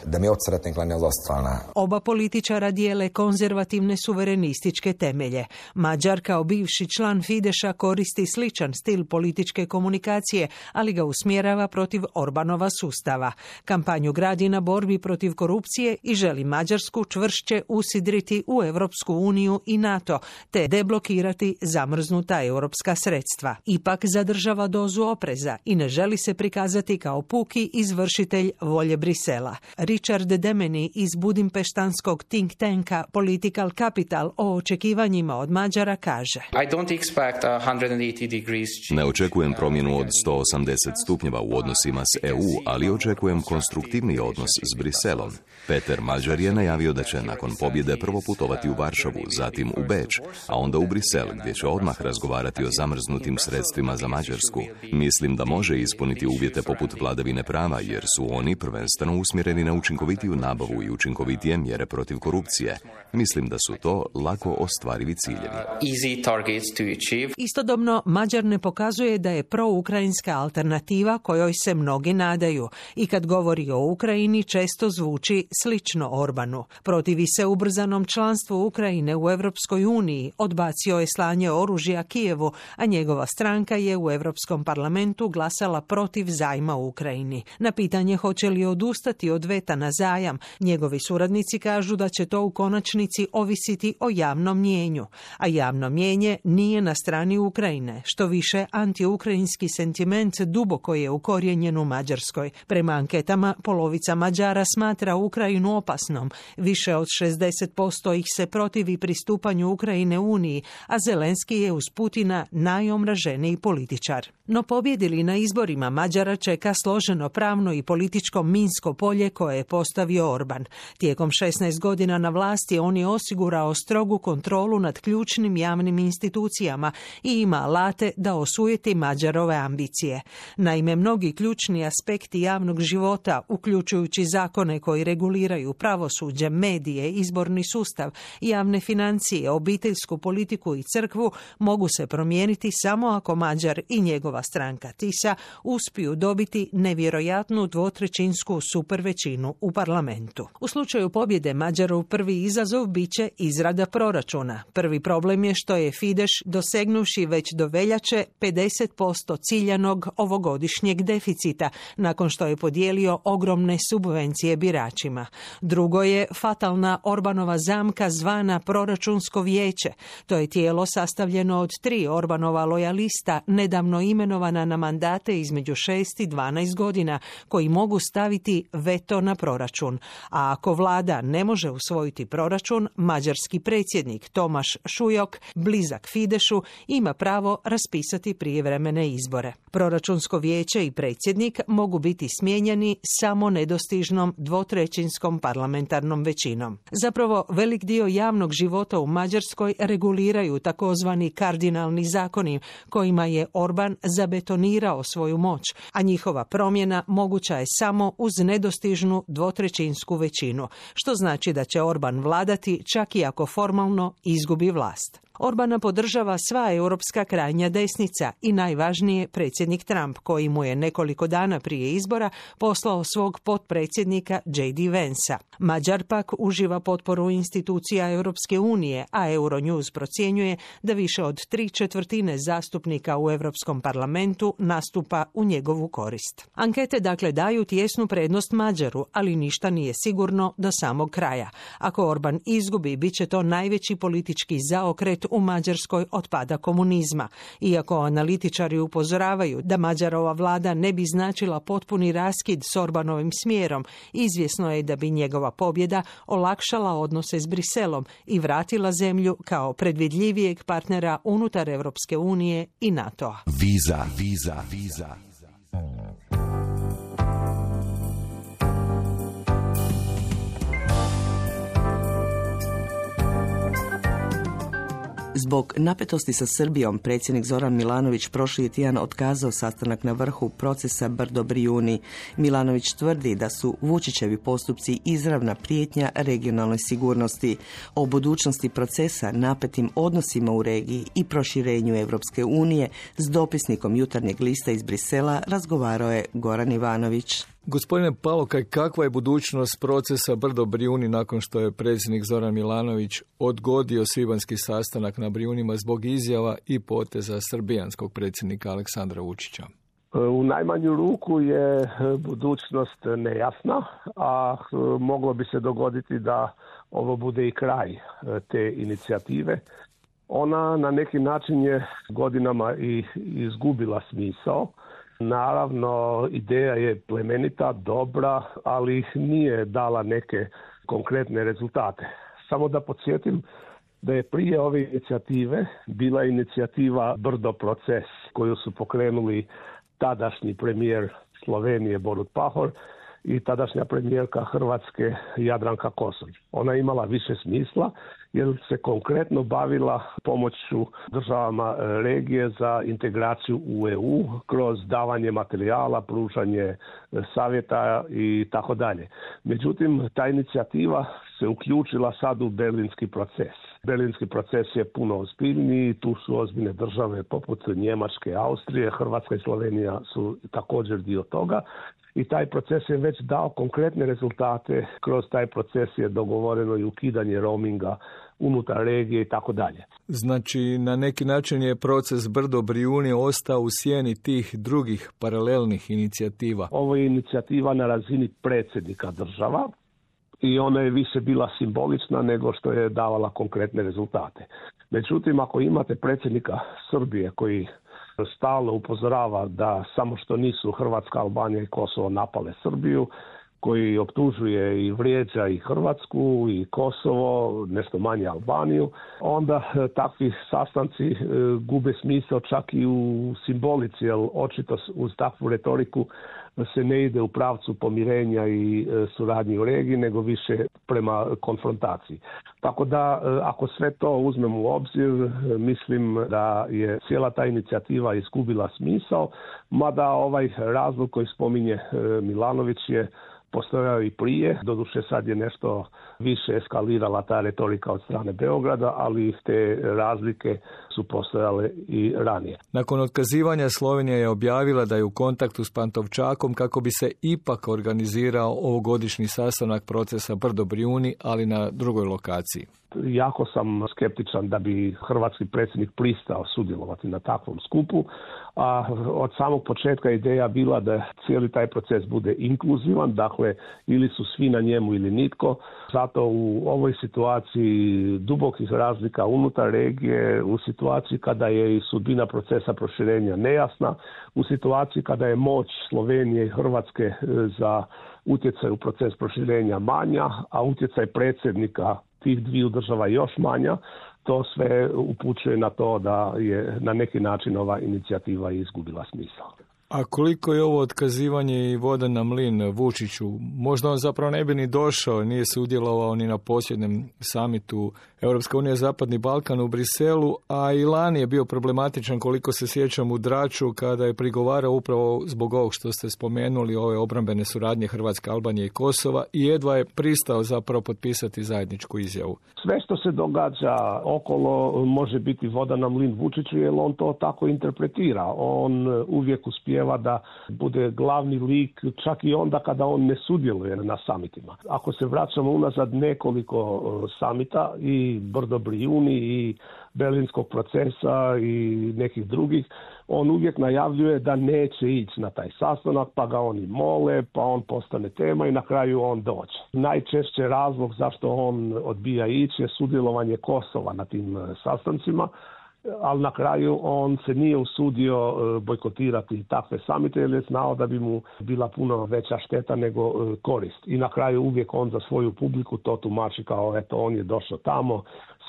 Oba političara dijele konzervativne suverenističke temelje. Mađar kao bivši član Fideša koristi sličan stil političke komunikacije, ali ga usmjerava protiv Orbanova sustava. Kampanju gradi na borbi protiv korupcije i želi Mađarsku čvršće usidriti u Europsku uniju i NATO, te deblokirati zamrznuta europska sredstva. Ipak zadržava dozu opreza i ne želi se prikazati kao puki izvršitelj volje Brisela. Richard Demeni iz budimpeštanskog think tanka Political Capital o očekivanjima od Mađara kaže: Ne očekujem promjenu od sto osamdeset stupnjeva u odnosima s E U, ali očekujem konstruktivni odnos s Briselom. Peter Mađar je najavio da će nakon pobjede prvo putovati u Varšavu, zatim u Beč, a onda u Brisel, gdje će odmah razgovarati o zamrznutim sredstvima za Mađarsku. Mislim da može ispuniti uvjete poput vladavine prava, jer su oni prvenstveno usmjereni na učinkovitiju nabavu i učinkovitije mjere protiv korupcije. Mislim da su to lako ostvarivi ciljevi. Istodobno, Mađar ne pokazuje da je proukrajinska alternativa kojoj se mnogi nadaju i kad govori o Ukrajini često zvuči slično Orbanu. Protivi se ubrzanom članstvu Ukrajine u Europskoj uniji, odbacio je slanje oružja Kijevu, a njegova stranka je u Europskom parlamentu glasala protiv zajma u Ukrajini. Na pitanje hoće li odustati od veta na zajam, njegovi suradnici kažu da će to u konačnici ovisiti o javnom mnijenju, a javno mnijenje nije na strani Ukrajine, što više antiukrajinski sentiment duboko je ukorijenjen u Mađarskoj. Prema anketama, polovica Mađara smatra Ukrajinu opasnom, više od šezdeset posto ih se protivi pristupanju Ukrajine Uniji, a Zelenski je uz Putina najomraženiji političar. No pobjedi li na izborima, Mađara čeka složeno pravno i političko minsko polje koje je postavio Orban. Tijekom šesnaest godina na vlasti on je osigurao strogu kontrolu nad ključnim javnim institucijama i ima alate da osujeti Mađarove ambicije. Naime, mnogi ključni aspekti javnog života, uključujući uključujući zakone koji reguliraju pravosuđe, medije, izborni sustav, javne financije, obiteljsku politiku i crkvu, mogu se promijeniti samo ako Mađar i njegova stranka Tisa uspiju dobiti nevjerojatnu dvotrećinsku supervećinu u parlamentu. U slučaju pobjede Mađarov prvi izazov bit će izrada proračuna. Prvi problem je što je Fidesz, dosegnuvši već do veljače pedeset posto ciljanog ovogodišnjeg deficita, nakon što je podijelio ogromne subvencije biračima. Drugo je fatalna Orbanova zamka zvana proračunsko vijeće. To je tijelo sastavljeno od tri Orbanova lojalista, nedavno imenovana na mandate između šest i dvanaest godina, koji mogu staviti veto na proračun. A ako vlada ne može usvojiti proračun, mađarski predsjednik Tomaš Šujok, blizak Fidešu, ima pravo raspisati prijevremene izbore. Proračunsko vijeće i predsjednik mogu biti smijenjeni samo nedostižnom dvotrećinskom parlamentarnom većinom. Zapravo, velik dio javnog života u Mađarskoj reguliraju takozvani kardinalni zakoni, kojima je Orban zabetonirao svoju moć, a njihova promjena moguća je samo uz nedostižnu dvotrećinsku većinu, što znači da će Orban vladati čak i ako formalno izgubi vlast. Orbana podržava sva europska krajnja desnica i najvažnije predsjednik Trump, koji mu je nekoliko dana prije izbora poslao svog potpredsjednika J D Vansa. Mađar pak uživa potporu institucija Europske unije, a Euronews procjenjuje da više od tri četvrtine zastupnika u Europskom parlamentu nastupa u njegovu korist. Ankete dakle daju tjesnu prednost Mađaru, ali ništa nije sigurno do samog kraja. Ako Orban izgubi, bit će to najveći politički zaokret u Mađarskoj od pada komunizma. Iako analitičari upozoravaju da Mađarova vlada ne bi značila potpuni raskid s Orbanovim smjerom, izvjesno je da bi njegova pobjeda olakšala odnose s Briselom i vratila zemlju kao predvidljivijeg partnera unutar Europske unije i NATO-a. Viza, viza, viza. Zbog napetosti sa Srbijom, predsjednik Zoran Milanović prošli je tjedan otkazao sastanak na vrhu procesa Brdo-Brijuni. Milanović tvrdi da su Vučićevi postupci izravna prijetnja regionalnoj sigurnosti. O budućnosti procesa, napetim odnosima u regiji i proširenju Europske unije s dopisnikom Jutarnjeg lista iz Brisela razgovarao je Goran Ivanović. Gospodine Palokaj, kakva je budućnost procesa Brdo-Brijuni nakon što je predsjednik Zoran Milanović odgodio svibanjski sastanak na Brijunima zbog izjava i poteza srbijanskog predsjednika Aleksandra Vučića? U najmanju ruku je budućnost nejasna, a moglo bi se dogoditi da ovo bude i kraj te inicijative. Ona na neki način je godinama i izgubila smisao. Naravno, ideja je plemenita, dobra, ali nije dala neke konkretne rezultate. Samo da podsjetim da je prije ove inicijative bila inicijativa Brdo proces, koju su pokrenuli tadašnji premijer Slovenije Borut Pahor i tadašnja premijerka Hrvatske Jadranka Kosor. Ona je imala više smisla jer se konkretno bavila pomoću državama regije za integraciju u E U kroz davanje materijala, pružanje savjeta i tako dalje. Međutim, ta inicijativa se uključila sad u berlinski proces. Berlinski proces je puno ozbiljniji, tu su ozbiljne države poput Njemačke, Austrije, Hrvatska i Slovenija su također dio toga. I taj proces je već dao konkretne rezultate. Kroz taj proces je dogovoreno i ukidanje roaminga unutar regije i tako dalje. Znači, na neki način je proces Brdo-Brijuni ostao u sjeni tih drugih paralelnih inicijativa. Ovo je inicijativa na razini predsjednika država i ona je više bila simbolična nego što je davala konkretne rezultate. Međutim, ako imate predsjednika Srbije koji stalno upozorava da samo što nisu Hrvatska, Albanija i Kosovo napale Srbiju, koji optužuje i vrijeđa i Hrvatsku i Kosovo, nešto manje Albaniju, onda takvi sastanci gube smisao čak i u simbolici, jer očito uz takvu retoriku se ne ide u pravcu pomirenja i suradnje u regiji, nego više prema konfrontaciji. Tako da ako sve to uzmemo u obzir, mislim da je cijela ta inicijativa izgubila smisao, mada ovaj razlog koji spominje Milanović je postojao i prije, doduše sad je nešto više eskalirala ta retorika od strane Beograda, ali te razlike su postojale i ranije. Nakon otkazivanja Slovenija je objavila da je u kontaktu s Pantovčakom kako bi se ipak organizirao ovogodišnji sastanak procesa Brdo Brijuni, ali na drugoj lokaciji. Jako sam skeptičan da bi hrvatski predsjednik pristao sudjelovati na takvom skupu, a od samog početka ideja bila da cijeli taj proces bude inkluzivan, dakle ili su svi na njemu ili nitko. Zato u ovoj situaciji dubokih razlika unutar regije, u situaciji kada je i sudbina procesa proširenja nejasna, u situaciji kada je moć Slovenije i Hrvatske za utjecaj u proces proširenja manja, a utjecaj predsjednika tih dviju država još manja, to sve upućuje na to da je na neki način ova inicijativa izgubila smisao. A koliko je ovo otkazivanje i voda na mlin Vučiću? Možda on zapravo ne bi ni došao, nije se udjelovao ni na posljednjem samitu Europska unija Zapadni Balkan u Briselu, a i lani je bio problematičan, koliko se sjećam, u Draču kada je prigovarao upravo zbog ovog što ste spomenuli, ove obrambene suradnje Hrvatske, Albanije i Kosova, i jedva je pristao zapravo potpisati zajedničku izjavu. Sve što se događa okolo može biti voda na mlin Vučiću, jer on to tako interpretira. On uvijek uspije da bude glavni lik čak i onda kada on ne sudjeluje na samitima. Ako se vraćamo unazad nekoliko samita i Brdo Brijuni i Berlinskog procesa i nekih drugih, on uvijek najavljuje da neće ići na taj sastanak, pa ga oni mole, pa on postane tema i na kraju on dođe. Najčešće razlog zašto on odbija ići je sudjelovanje Kosova na tim sastancima, ali na kraju on se nije usudio bojkotirati takve samite jer je znao da bi mu bila puno veća šteta nego korist. I na kraju uvijek on za svoju publiku to tumači kao eto on je došao tamo,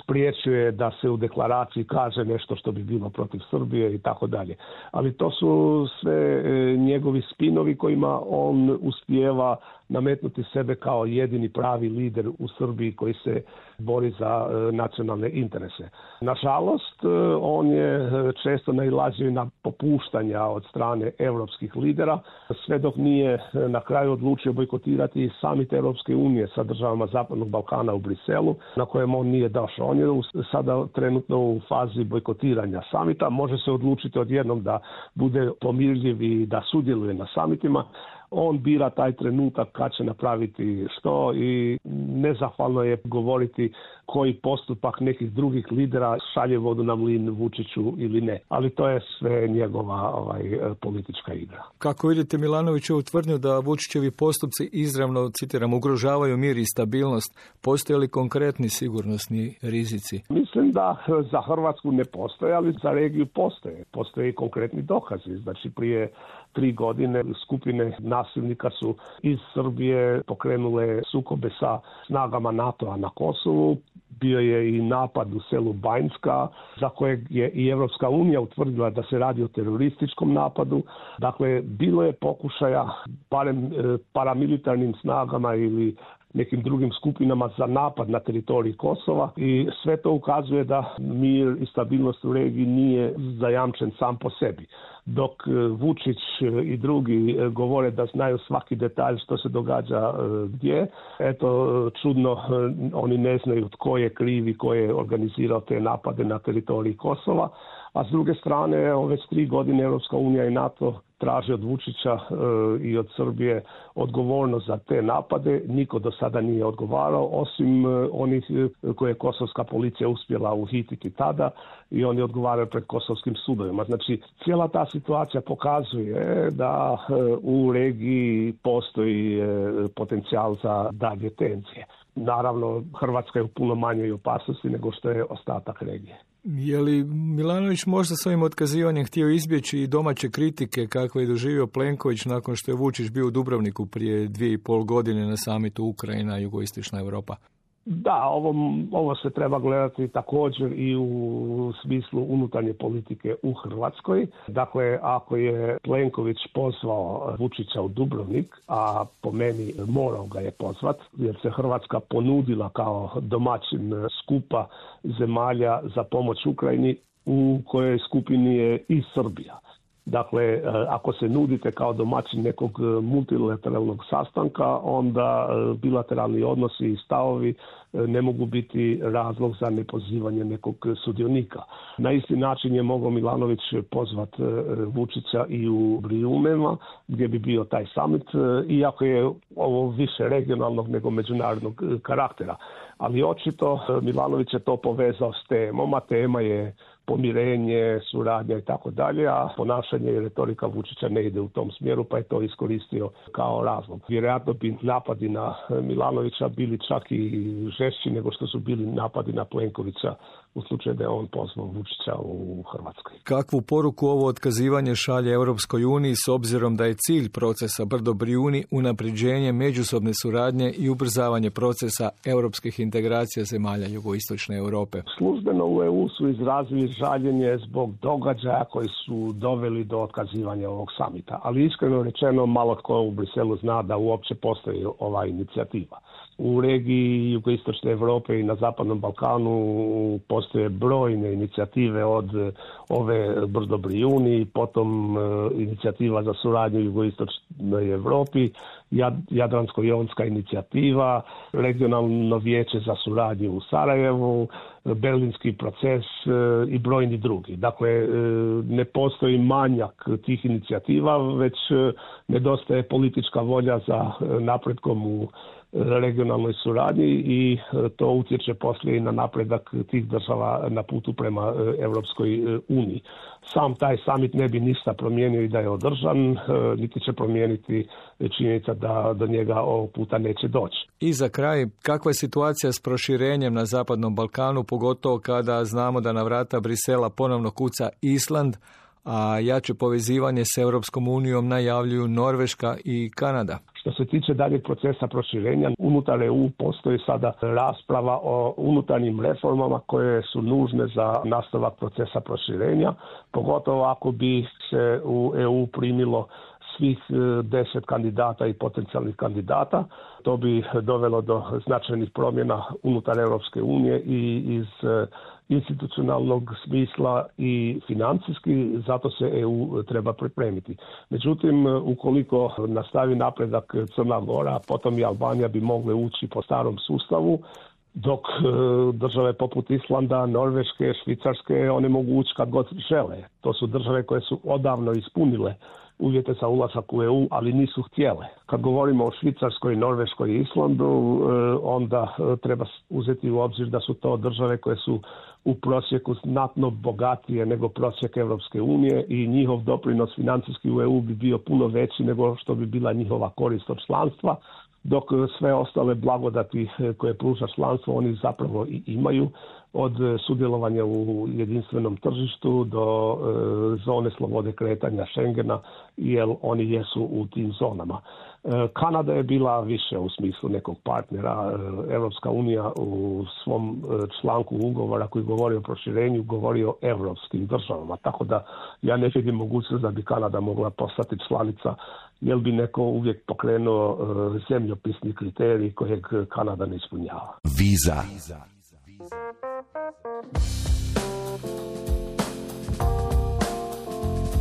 spriječuje da se u deklaraciji kaže nešto što bi bilo protiv Srbije i tako dalje. Ali to su sve njegovi spinovi kojima on uspijeva nametnuti sebe kao jedini pravi lider u Srbiji koji se bori za nacionalne interese. Nažalost, on je često nailazio na popuštanja od strane europskih lidera, sve dok nije na kraju odlučio bojkotirati samit Europske unije sa državama Zapadnog Balkana u Briselu, na kojem on nije došao. On je sada trenutno u fazi bojkotiranja samita, može se odlučiti odjednom da bude pomirljiv i da sudjeluje na samitima. On bira taj trenutak kad će napraviti što i nezahvalno je govoriti koji postupak nekih drugih lidera šalje vodu na mlin Vučiću ili ne. Ali to je sve njegova ovaj, politička igra. Kako vidite Milanovićevu tvrdnju da Vučićevi postupci izravno, citiram, ugrožavaju mir i stabilnost, postoje li konkretni sigurnosni rizici? Mislim da za Hrvatsku ne postoje, ali za regiju postoje. Postoje i konkretni dokazi. Znači prije tri godine skupine nasilnika su iz Srbije pokrenule sukobe sa snagama NATO-a na Kosovu. Bio je i napad u selu Banjska, za kojeg je i Europska unija utvrdila da se radi o terorističkom napadu. Dakle, bilo je pokušaja, barem paramilitarnim snagama ili nekim drugim skupinama za napad na teritoriji Kosova i sve to ukazuje da mir i stabilnost u regiji nije zajamčen sam po sebi. Dok Vučić i drugi govore da znaju svaki detalj što se događa gdje, eto čudno oni ne znaju tko je kriv i tko je organizirao te napade na teritoriji Kosova. A s druge strane, evo, već tri godine Europska unija i NATO traže od Vučića e, i od Srbije odgovornost za te napade. Niko do sada nije odgovarao, osim e, onih koje je kosovska policija uspjela uhititi tada i oni odgovaraju pred kosovskim sudovima. Znači, cijela ta situacija pokazuje da e, u regiji postoji e, potencijal za dalje tenzije. Naravno, Hrvatska je u puno manjoj opasnosti nego što je ostatak regije. Je li Milanović možda svojim otkazivanjem htio izbjeći i domaće kritike kakve je doživio Plenković nakon što je Vučić bio u Dubrovniku prije dvije i pol godine na samitu Ukrajina, Jugoistočna Europa? Da, ovo, ovo se treba gledati također i u smislu unutarnje politike u Hrvatskoj. Dakle, ako je Plenković pozvao Vučića u Dubrovnik, a po meni morao ga je pozvat, jer se Hrvatska ponudila kao domaćin skupa zemalja za pomoć Ukrajini, u kojoj skupini je i Srbija. Dakle, ako se nudite kao domaćin nekog multilateralnog sastanka, onda bilateralni odnosi i stavovi ne mogu biti razlog za nepozivanje nekog sudionika. Na isti način je mogao Milanović pozvat Vučića i u Brijumima, gdje bi bio taj summit, iako je ovo više regionalnog nego međunarodnog karaktera. Ali očito Milanović je to povezao s temom, a tema je pomirenje, suradnja i tako dalje, a ponašanje i retorika Vučića ne ide u tom smjeru, pa je to iskoristio kao razlog. Vjerojatno bi napadi na Milanovića bili čak i žešći nego što su bili napadi na Plenkovića u slučaju da je on pozvao Vučića u Hrvatskoj. Kakvu poruku ovo otkazivanje šalje Europskoj uniji s obzirom da je cilj procesa Brdo-Brijuni unapređenje međusobne suradnje i ubrzavanje procesa europskih integracija zemalja jugoistočne Europe? Službeno u E U su izrazili žaljenje zbog događaja koji su doveli do otkazivanja ovog samita, ali iskreno rečeno malo tko u Briselu zna da uopće postoji ova inicijativa. U regiji jugoistočne Europe i na Zapadnom Balkanu postoje brojne inicijative od ove Brdo-Brijuni, potom inicijativa za suradnju u jugoistočnoj Europi, Jadransko-jonska inicijativa, regionalno vijeće za suradnju u Sarajevu, Berlinski proces i brojni drugi. Dakle, ne postoji manjak tih inicijativa, već nedostaje politička volja za napretkom u regionalnoj suradnji i to utječe poslije i na napredak tih država na putu prema Europskoj uniji. Sam taj summit ne bi ništa promijenio i da je održan, niti će promijeniti činjenica da do njega ovog puta neće doći. I za kraj, kakva je situacija s proširenjem na Zapadnom Balkanu, pogotovo kada znamo da na vrata Brisela ponovno kuca Island, a jače povezivanje s Europskom unijom najavljuju Norveška i Kanada? Što se tiče daljeg procesa proširenja, unutar E U postoji sada rasprava o unutarnjim reformama koje su nužne za nastavak procesa proširenja, pogotovo ako bi se u E U primilo svih deset kandidata i potencijalnih kandidata. To bi dovelo do značajnih promjena unutar Europske unije i iz institucionalnog smisla i financijski, zato se E U treba pripremiti. Međutim, ukoliko nastavi napredak Crna Gora, potom i Albanija bi mogle ući po starom sustavu, dok države poput Islanda, Norveške, Švicarske, one mogu ući kad god žele. To su države koje su odavno ispunile uvjete za ulazak u E U, ali nisu htjele. Kad govorimo o Švicarskoj, Norveškoj i Islandu, onda treba uzeti u obzir da su to države koje su u prosjeku znatno bogatije nego prosjek Europske unije i njihov doprinos financijski u E U bi bio puno veći nego što bi bila njihova korist od članstva, dok sve ostale blagodati koje pruža članstvo oni zapravo i imaju, od sudjelovanja u jedinstvenom tržištu do e, zone slobode kretanja Schengena, jer oni jesu u tim zonama. E, Kanada je bila više u smislu nekog partnera. E, Europska unija u svom e, članku ugovora koji govori o proširenju govori o europskim državama, tako da ja ne vidim mogućnost da bi Kanada mogla postati članica, jer bi neko uvijek pokrenuo e, zemljopisni kriterij kojeg Kanada ne ispunjava. Viza.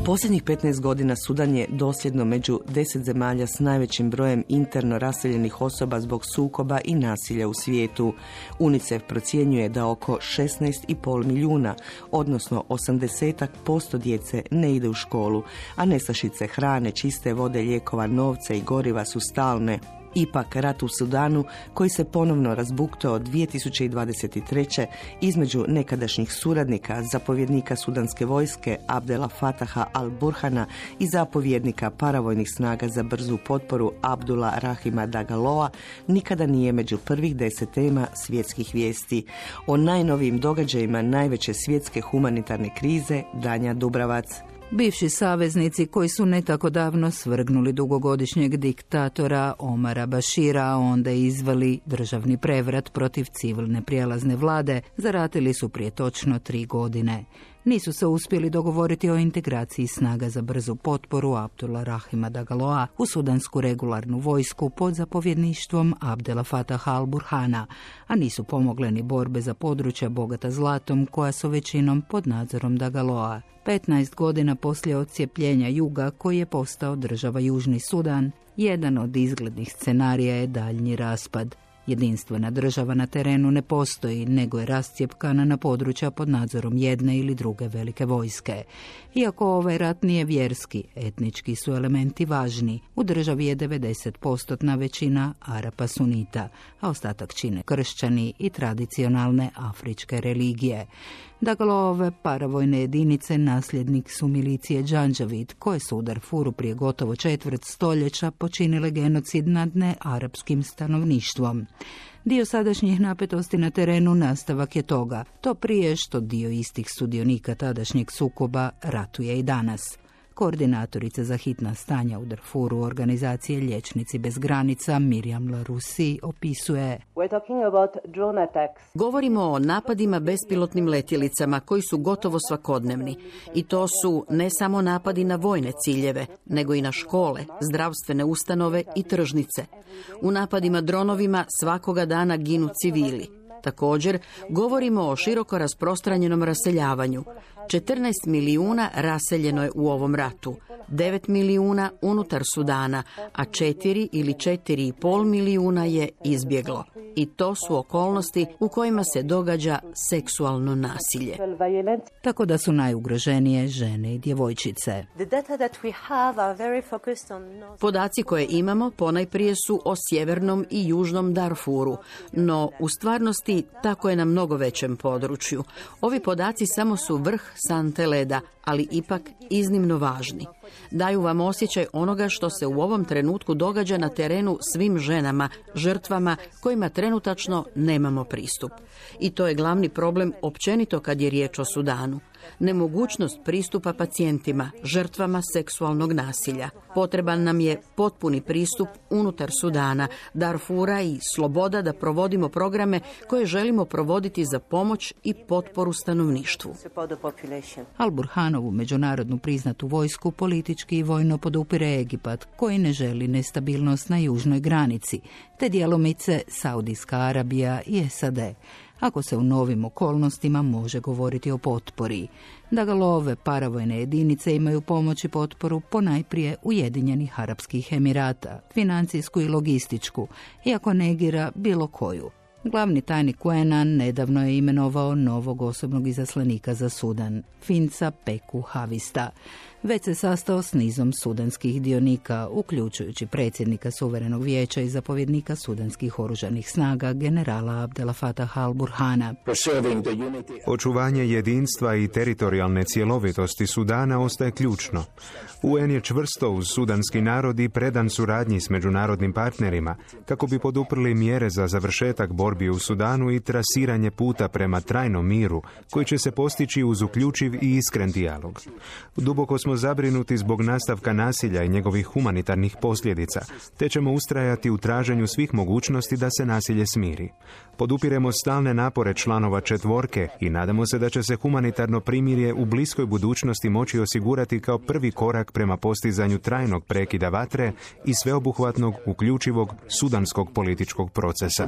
Posljednjih petnaest godina Sudan je dosljedno među deset zemalja s najvećim brojem interno raseljenih osoba zbog sukoba i nasilja u svijetu. UNICEF procjenjuje da oko šesnaest i pol milijuna, odnosno osamdeset posto djece ne ide u školu, a nestašice hrane, čiste vode, lijekova, novca i goriva su stalne. Ipak, rat u Sudanu, koji se ponovno razbuktao dvije tisuće dvadeset treće između nekadašnjih suradnika, zapovjednika sudanske vojske Abdela Fataha al-Burhana i zapovjednika paravojnih snaga za brzu potporu Abdula Rahima Dagaloa, nikada nije među prvih deset tema svjetskih vijesti. O najnovijim događajima najveće svjetske humanitarne krize Danja Dubravac. Bivši saveznici koji su ne tako davno svrgnuli dugogodišnjeg diktatora Omara Bašira, a onda izveli državni prevrat protiv civilne prijelazne vlade, zaratili su prije točno tri godine. Nisu se uspjeli dogovoriti o integraciji snaga za brzu potporu Abdullah Rahima Dagaloa u sudansku regularnu vojsku pod zapovjedništvom Abdela Fataha al-Burhana, a nisu pomogle ni borbe za područja bogata zlatom koja su većinom pod nadzorom Dagaloa. petnaest godina poslije odcijepljenja juga koji je postao država Južni Sudan, jedan od izglednih scenarija je daljnji raspad. Jedinstvena država na terenu ne postoji, nego je rascjepkana na područja pod nadzorom jedne ili druge velike vojske. Iako ovaj rat nije vjerski, etnički su elementi važni. U državi je devedeset posto većina Arapa sunita, a ostatak čine kršćani i tradicionalne afričke religije. Dagalove paravojne jedinice nasljednik su milicije Džandžavid, koje su u Darfuru prije gotovo četvrt stoljeća počinile genocid nad nearapskim stanovništvom. Dio sadašnjih napetosti na terenu nastavak je toga, to prije što dio istih sudionika tadašnjeg sukoba ratuje i danas. Koordinatorica za hitna stanja u Darfuru organizacije Liječnici bez granica Miriam Laroussi opisuje: Govorimo o napadima bespilotnim letjelicama koji su gotovo svakodnevni. I to su ne samo napadi na vojne ciljeve, nego i na škole, zdravstvene ustanove i tržnice. U napadima dronovima svakoga dana ginu civili. Također, govorimo o široko rasprostranjenom raseljavanju. četrnaest milijuna raseljeno je u ovom ratu, devet milijuna unutar Sudana, a četiri ili četiri i pol milijuna je izbjeglo. I to su okolnosti u kojima se događa seksualno nasilje. Tako da su najugroženije žene i djevojčice. Podaci koje imamo ponajprije su o sjevernom i južnom Darfuru, no u stvarnosti tako je na mnogo većem području. Ovi podaci samo su vrh sante leda, ali ipak iznimno važni. Daju vam osjećaj onoga što se u ovom trenutku događa na terenu svim ženama, žrtvama kojima trenutačno nemamo pristup. I to je glavni problem općenito kad je riječ o Sudanu. Nemogućnost pristupa pacijentima, žrtvama seksualnog nasilja. Potreban nam je potpuni pristup unutar Sudana, Darfura i sloboda da provodimo programe koje želimo provoditi za pomoć i potporu stanovništvu. Al-Burhanovu međunarodnu priznatu vojsku politički i vojno podupire Egipat, koji ne želi nestabilnost na južnoj granici, te djelomice Saudijska Arabija i S A D. Ako se u novim okolnostima može govoriti o potpori. Dagalove paravojne jedinice imaju pomoć i potporu ponajprije Ujedinjenih Arapskih Emirata, financijsku i logističku, iako negira bilo koju. Glavni tajnik U N A nedavno je imenovao novog osobnog izaslanika za Sudan, Finca Peku Havista. Već se sastao s nizom sudanskih dionika, uključujući predsjednika Suverenog vijeća i zapovjednika sudanskih oružanih snaga, generala Abdela Fataha al-Burhana. Očuvanje jedinstva i teritorijalne cjelovitosti Sudana ostaje ključno. U N je čvrsto uz sudanski narod i predan suradnji s međunarodnim partnerima, kako bi poduprli mjere za završetak borbi u Sudanu i trasiranje puta prema trajnom miru, koji će se postići uz uključiv i iskren dijalog. Duboko smo zabrinuti zbog nastavka nasilja i njegovih humanitarnih posljedica, te ćemo ustrajati u traženju svih mogućnosti da se nasilje smiri. Podupiremo stalne napore članova četvorke i nadamo se da će se humanitarno primirje u bliskoj budućnosti moći osigurati kao prvi korak prema postizanju trajnog prekida vatre i sveobuhvatnog, uključivog sudanskog političkog procesa.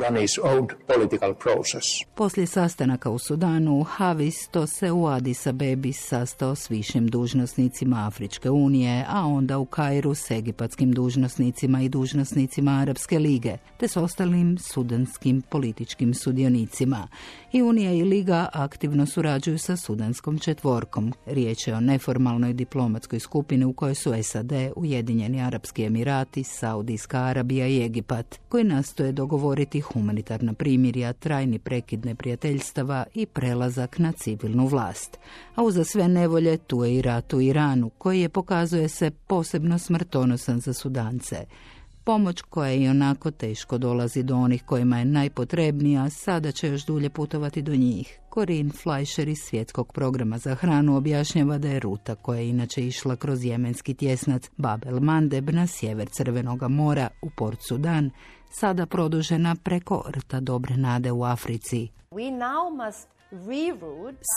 Poslije sastanaka u Sudanu, Havisto se u Addis Abebi sastao s višim dužnosnicima Afričke unije, a onda u Kairu s egipatskim dužnosnicima i dužnosnicima Arapske lige, te s ostalim sudanskim političkim sudionicima. I Unija i Liga aktivno surađuju sa sudanskom četvorkom. Riječ je o neformalnoj diplomatskoj skupini u kojoj su S A D, Ujedinjeni Arapski Emirati, Saudijska Arabija i Egipat, koji nastoje dogovoriti humanitarna primirja, trajni prekid neprijateljstava i prelazak na civilnu vlast. A uza sve nevolje tu je i rat u Iranu, koji je, pokazuje se, posebno smrtonosan za Sudance. Pomoć koja i onako teško dolazi do onih kojima je najpotrebnija, sada će još dulje putovati do njih. Corinne Fleischer iz Svjetskog programa za hranu objašnjava da je ruta koja je inače išla kroz jemenski tjesnac Bab el Mandeb na sjever Crvenoga mora u Port Sudan sada produžena preko rta Dobre nade u Africi. We now must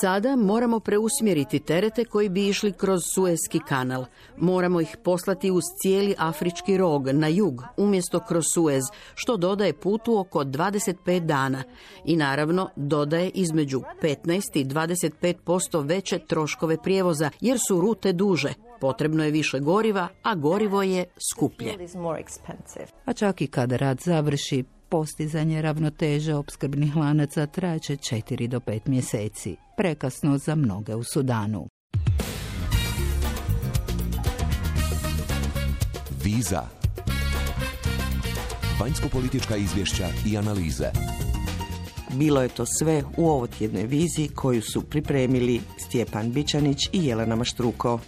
Sada moramo preusmjeriti terete koji bi išli kroz Suezki kanal. Moramo ih poslati uz cijeli Afrički rog na jug, umjesto kroz Suez, što dodaje putu oko dvadeset pet dana. I naravno dodaje između petnaest i dvadeset pet posto veće troškove prijevoza, jer su rute duže. Potrebno je više goriva, a gorivo je skuplje. A čak i kada rad završi, postizanje ravnoteže opskrbnih lanaca traće četiri do pet mjeseci. Prekasno za mnoge u Sudanu. Viza. Vanjsko-politička izvješća i analize. Bilo je to sve u ovotjednoj viziji koju su pripremili Stjepan Bičanić i Jelena Maštruko.